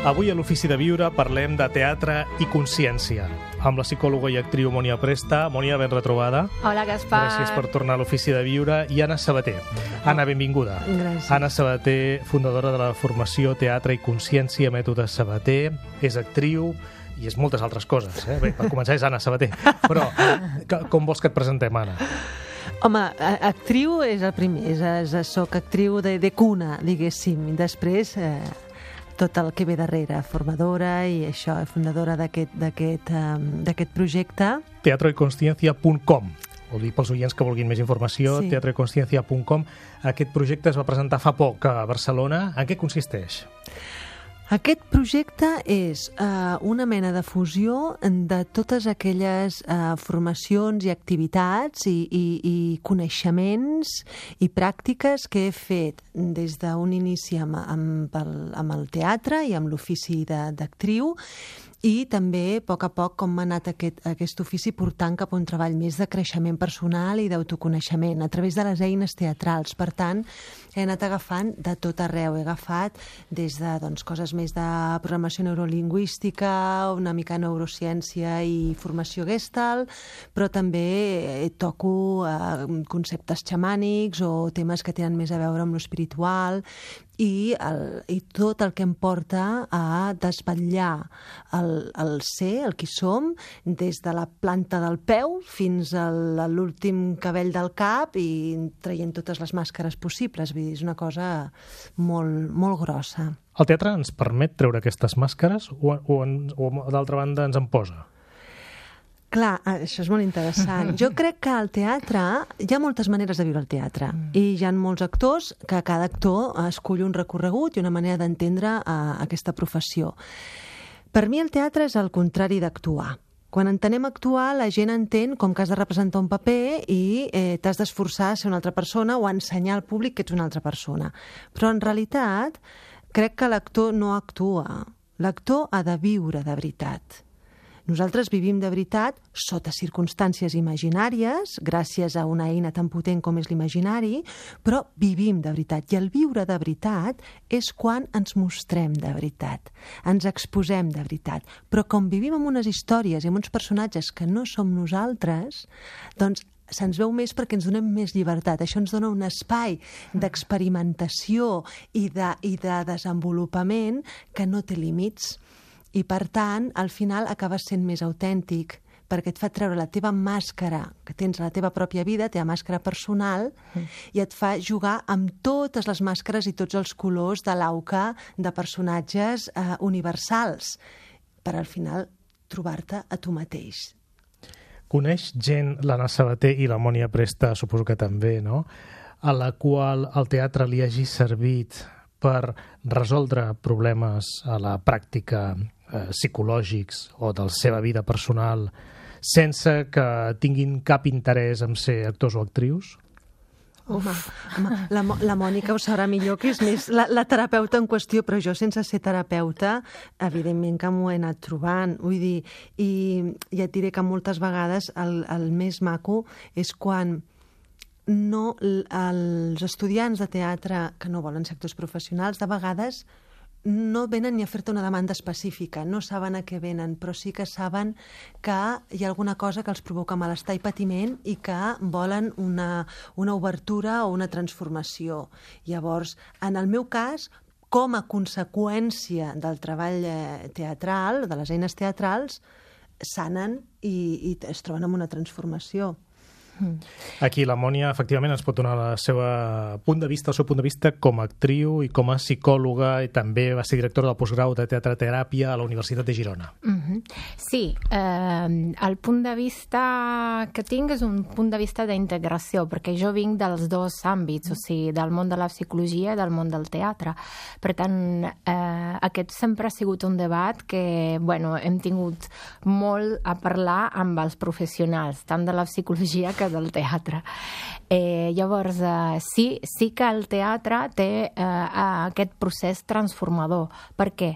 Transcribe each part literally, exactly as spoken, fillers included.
Avui a l'Ofici de Viure parlem de teatre i consciència, amb la psicòloga i actriu Mònia Presta. Mònia, ben retrobada. Hola, Gaspar. Gràcies per tornar a l'Ofici de Viure. I Anna Sabater. Anna, benvinguda. Gràcies. Anna Sabater, fundadora de la formació Teatre i Consciència, Mètode Sabater, és actriu i és moltes altres coses. Eh? Bé, per començar és Anna Sabater. Però com vols que et presentem, Anna? Home, actriu és el primer, és, és, soc actriu de, de cuna, diguéssim. Després, eh, tot el que ve darrere, formadora i això, fundadora d'aquest d'aquest um, d'aquest projecte. teatre i consciència punt com. Vol dir pels oients que vulguin més informació, Sí. teatre i consciència punt com. Aquest projecte es va presentar fa poc a Barcelona. En què consisteix? Aquest projecte és eh, una mena de fusió de totes aquelles eh, formacions i activitats i, i, i coneixements i pràctiques que he fet des d'un inici amb, amb, el, amb el teatre i amb l'ofici de- d'actriu, i també, a poc a poc, com m'ha anat aquest, aquest ofici portant cap a un treball més de creixement personal i d'autoconeixement a través de les eines teatrals. Per tant, he anat agafant de tot arreu. He agafat des de doncs, coses més de programació neurolingüística, una mica neurociència i formació Gestalt, però també toco eh, conceptes xamànics o temes que tenen més a veure amb l'espiritual, i, el, i tot el que em porta a desvetllar el, el ser, el qui som, des de la planta del peu fins a l'últim cabell del cap i traient totes les màscares possibles. Vull dir, és una cosa molt, molt grossa. El teatre ens permet treure aquestes màscares o, o, en- o d'altra banda ens en posa? Clar, això és molt interessant. Jo crec que al teatre hi ha moltes maneres de viure el teatre mm. i hi ha molts actors que cada actor escull un recorregut i una manera d'entendre uh, aquesta professió. Per mi el teatre és el contrari d'actuar. Quan entenem actuar, la gent entén com que has de representar un paper i eh, t'has d'esforçar a ser una altra persona o a ensenyar al públic que ets una altra persona. Però en realitat crec que l'actor no actua. L'actor ha de viure de veritat. Nosaltres vivim de veritat sota circumstàncies imaginàries, gràcies a una eina tan potent com és l'imaginari, però vivim de veritat. I el viure de veritat és quan ens mostrem de veritat, ens exposem de veritat. Però com vivim amb unes històries i amb uns personatges que no som nosaltres, doncs se'ns veu més perquè ens donem més llibertat. Això ens dona un espai d'experimentació i de, i de desenvolupament que no té límits. I, per tant, al final acabes sent més autèntic, perquè et fa treure la teva màscara que tens a la teva pròpia vida, la teva màscara personal, mm. i et fa jugar amb totes les màscares i tots els colors de l'auca de personatges eh, universals, per al final trobar-te a tu mateix. Coneix gent, l'Anna Sabater i la Mònia Presta, suposo que també, no?, a la qual el teatre li hagi servit per resoldre problemes a la pràctica eh, psicològics o de la seva vida personal sense que tinguin cap interès en ser actors o actrius? Home, home la, Mo- la Mònica ho sabrà millor, que és més la, la terapeuta en qüestió, però jo, sense ser terapeuta, evidentment que m'ho he anat trobant. Vull dir, i ja et diré que moltes vegades el, el més maco és quan no, els estudiants de teatre que no volen ser actors professionals, de vegades no venen ni a fer-te una demanda específica, no saben a què venen, però sí que saben que hi ha alguna cosa que els provoca malestar i patiment i que volen una, una obertura o una transformació. Llavors, en el meu cas, com a conseqüència del treball eh, teatral, de les eines teatrals, sanen i, i es troben amb una transformació. Aquí la Mònia, efectivament, ens pot donar el seu punt de vista, el seu punt de vista com a actriu i com a psicòloga, i també va ser directora del postgrau de teatre-teràpia a la Universitat de Girona. Mhm. Sí, eh, el punt de vista que tinc és un punt de vista d'integració, perquè jo vinc dels dos àmbits, o sigui, del món de la psicologia i del món del teatre. Per tant, eh, aquest sempre ha sigut un debat que, bueno, hem tingut molt a parlar amb els professionals, tant de la psicologia que del teatre. Eh, llavors, eh, sí, sí que el teatre té eh, aquest procés transformador. Per què?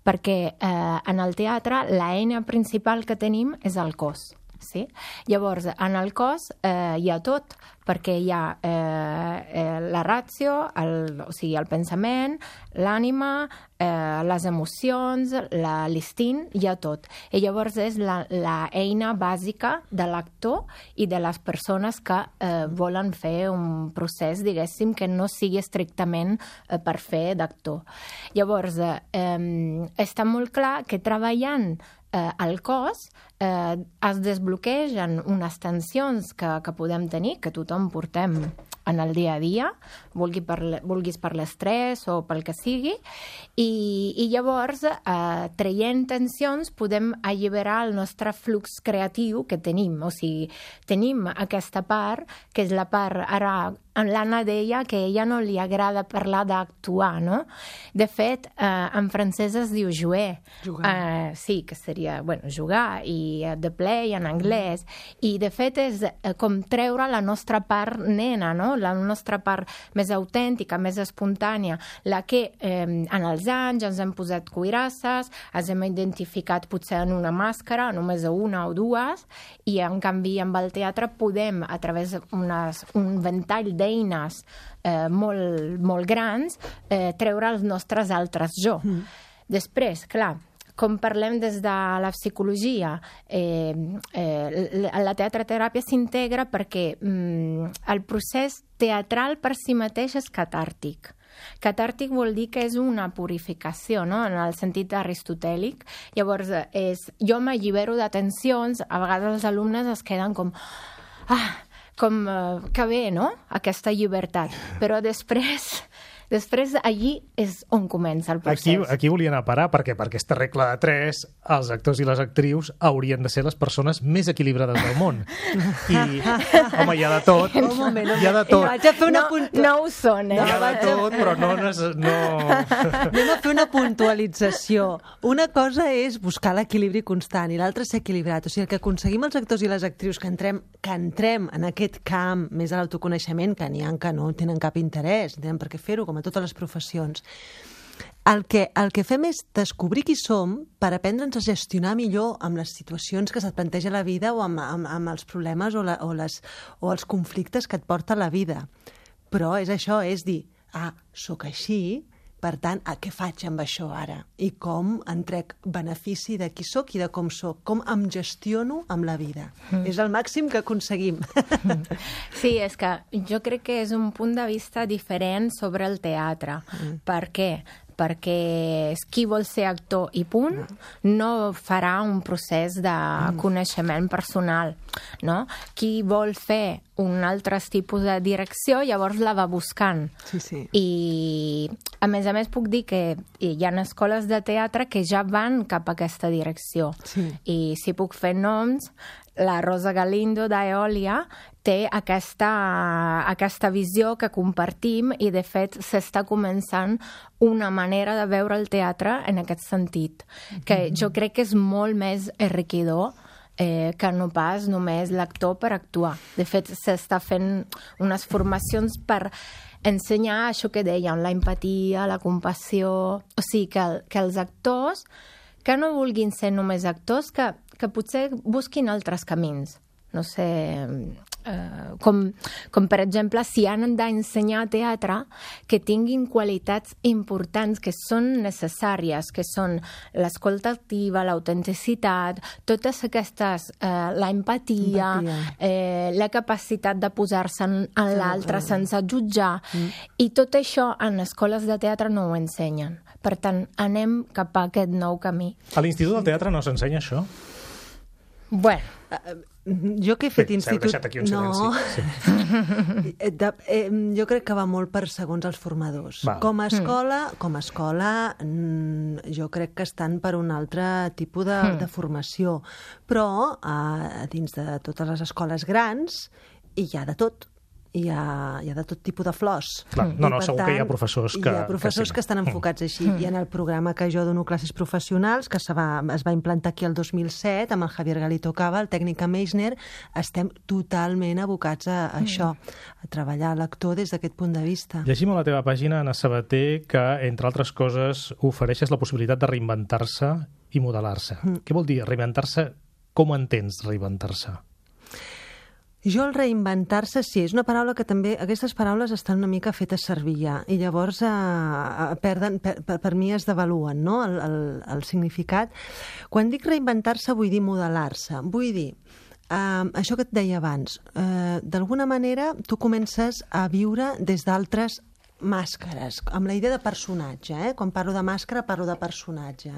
Perquè eh, en el teatre l'eina principal que tenim és el cos. sí? Llavors, en el cos eh, hi ha tot, perquè hi ha eh, eh, la ràtio, el, o sigui, el pensament, l'ànima, eh, les emocions, l'instint, hi ha tot. I llavors és l'eina bàsica de l'actor i de les persones que eh, volen fer un procés, diguéssim, que no sigui estrictament eh, per fer d'actor. Llavors, eh, eh, està molt clar que treballant eh, el cos eh, es desbloquegen unes tensions que, que podem tenir, que tothom portem en el dia a dia, vulgui per, vulguis per l'estrès o pel que sigui, i, i llavors, eh, traient tensions, podem alliberar el nostre flux creatiu que tenim. O sigui, tenim aquesta part, que és la part, ara, l'Anna deia que a ella no li agrada parlar d'actuar, no? De fet, eh, en francès es diu jouer. Jugar. Eh, sí, que seria, bueno, jugar, i uh, the play en anglès. I, de fet, és eh, com treure la nostra part nena, no? La nostra part més autèntica, més espontània, la que eh, en els anys ens hem posat cuirasses, ens hem identificat potser en una màscara, només una o dues, i en canvi amb el teatre podem, a través d'un ventall d'eines eh, molt, molt grans, eh, treure els nostres altres jo. Mm. Després, clar, com parlem des de la psicologia, eh, eh, la teatreteràpia s'integra perquè mm, el procés teatral per si mateix és catàrtic. Catàrtic vol dir que és una purificació, no? En el sentit aristotèlic. Llavors, és, jo m'allibero de tensions, a vegades els alumnes es queden com... Ah, com uh, que bé, no?, aquesta llibertat. Però després... Després, allí és on comença el procés. Aquí, aquí volia anar a parar, perquè per aquesta regla de tres, els actors i les actrius haurien de ser les persones més equilibrades del món. I, home, hi ha de tot. Un moment, hi ha de tot. Vaig a fer una no, puntu... no ho són, eh? Hi ha de tot, però no... no... Anem a fer una puntualització. Una cosa és buscar l'equilibri constant i l'altra ser equilibrat. O sigui, el que aconseguim els actors i les actrius que entrem, que entrem en aquest camp més a l'autoconeixement, que n'hi ha que no tenen cap interès, no tenen per què fer-ho, com a totes les professions. El que, el que fem és descobrir qui som per aprendre'ns a gestionar millor amb les situacions que se't planteja la vida o amb, amb, amb els problemes o, la, o, les, o els conflictes que et porta la vida. Però és això, és dir, ah, sóc així, per tant, a què faig amb això ara? I com en trec benefici de qui sóc i de com sóc? Com em gestiono amb la vida? Mm. És el màxim que aconseguim. Sí, és que jo crec que és un punt de vista diferent sobre el teatre. Mm. Per què? Perquè qui vol ser actor i punt no farà un procés de coneixement personal, no? Qui vol fer un altre tipus de direcció, llavors la va buscant. Sí, sí. I, a més a més, puc dir que hi ha escoles de teatre que ja van cap a aquesta direcció. Sí. I si puc fer noms, la Rosa Galindo d'Eòlia té aquesta, aquesta visió que compartim i, de fet, s'està començant una manera de veure el teatre en aquest sentit, que jo crec que és molt més enriquidor eh, que no pas només l'actor per actuar. De fet, s'està fent unes formacions per ensenyar això que dèiem, la empatia, la compassió... O sigui, que, que els actors que no vulguin ser només actors, que, que potser busquin altres camins. No sé, eh, com, com per exemple, si han d'ensenyar teatre, que tinguin qualitats importants que són necessàries, que són l'escolta activa, l'autenticitat, totes aquestes, eh, la empatia, eh, la capacitat de posar-se en, en l'altre sense jutjar, mm. i tot això en escoles de teatre no ho ensenyen. Per tant, anem cap a aquest nou camí. A l'Institut del Teatre no s'ensenya això? Bueno... Uh, jo que he fet Bé, institut... s'heu deixat aquí un silenci. No. Sí. de, eh, jo crec que va molt per segons els formadors. Val. Com a escola, mm. com a escola mm, jo crec que estan per un altre tipus de, mm. de formació. Però a dins de totes les escoles grans hi ha de tot. Hi ha, hi ha de tot tipus de flors. Clar, no, no, segur tant, que hi ha professors que... Hi ha professors que, sí. que estan enfocats així. Mm. I en el programa que jo dono classes professionals, que se va, es va implantar aquí el dos mil set, amb el Javier Galito Cava, el tècnic a Meissner, estem totalment abocats a, a mm. això, a treballar l'actor des d'aquest punt de vista. Llegim a la teva pàgina, Anna Sabater, que, entre altres coses, ofereixes la possibilitat de reinventar-se i modelar-se. Mm. Què vol dir reinventar-se com entens reinventar-se? Jo el reinventar-se, sí, és una paraula que també... Aquestes paraules estan una mica fetes servir ja, i llavors eh, perden, per, per, per mi es devaluen, no?, el, el, el significat. Quan dic reinventar-se vull dir modelar-se, vull dir, eh, això que et deia abans, eh, d'alguna manera tu comences a viure des d'altres màscares, amb la idea de personatge, eh? Quan parlo de màscara parlo de personatge.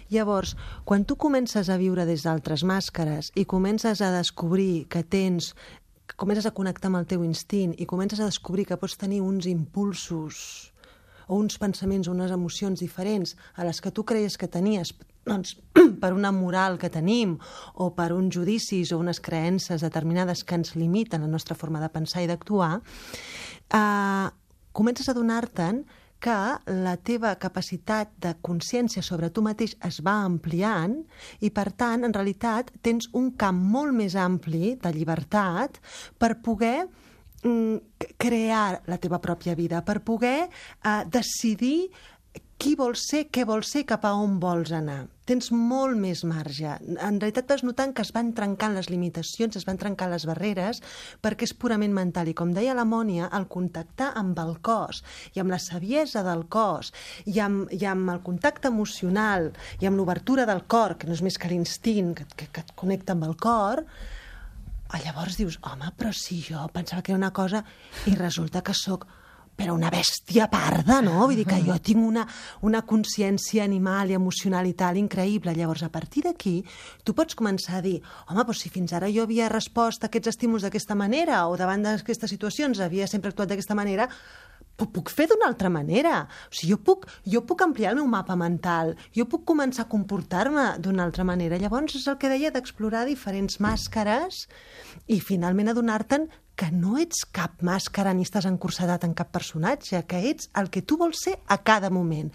Llavors, quan tu comences a viure des d'altres màscares i comences a descobrir que tens, comences a connectar amb el teu instint i comences a descobrir que pots tenir uns impulsos o uns pensaments o unes emocions diferents a les que tu creies que tenies, doncs, per una moral que tenim o per uns judicis o unes creences determinades que ens limiten la nostra forma de pensar i d'actuar, eh, comences a donar-te'n que la teva capacitat de consciència sobre tu mateix es va ampliant i, per tant, en realitat, tens un camp molt més ampli de llibertat per poder mm, crear la teva pròpia vida, per poder eh, decidir qui vols ser, què vols ser, cap a on vols anar. Tens molt més marge. En realitat vas notant que es van trencant les limitacions, es van trencant les barreres, perquè és purament mental. I com deia la Mònia, el contactar amb el cos i amb la saviesa del cos i amb, i amb el contacte emocional i amb l'obertura del cor, que no és més que l'instint que, que, que et connecta amb el cor, llavors dius, home, però si jo pensava que era una cosa i resulta que sóc però una bèstia parda, no? Vull dir que jo tinc una, una consciència animal i emocional i tal increïble. Llavors, a partir d'aquí, tu pots començar a dir, home, doncs si fins ara jo havia respost a aquests estímuls d'aquesta manera o davant d'aquestes situacions havia sempre actuat d'aquesta manera, ho puc fer d'una altra manera. O sigui, jo puc, jo puc ampliar el meu mapa mental, jo puc començar a comportar-me d'una altra manera. Llavors, és el que deia d'explorar diferents màscares i finalment adonar-te'n que no ets cap màscara ni estàs encursadat en cap personatge, que ets el que tu vols ser a cada moment.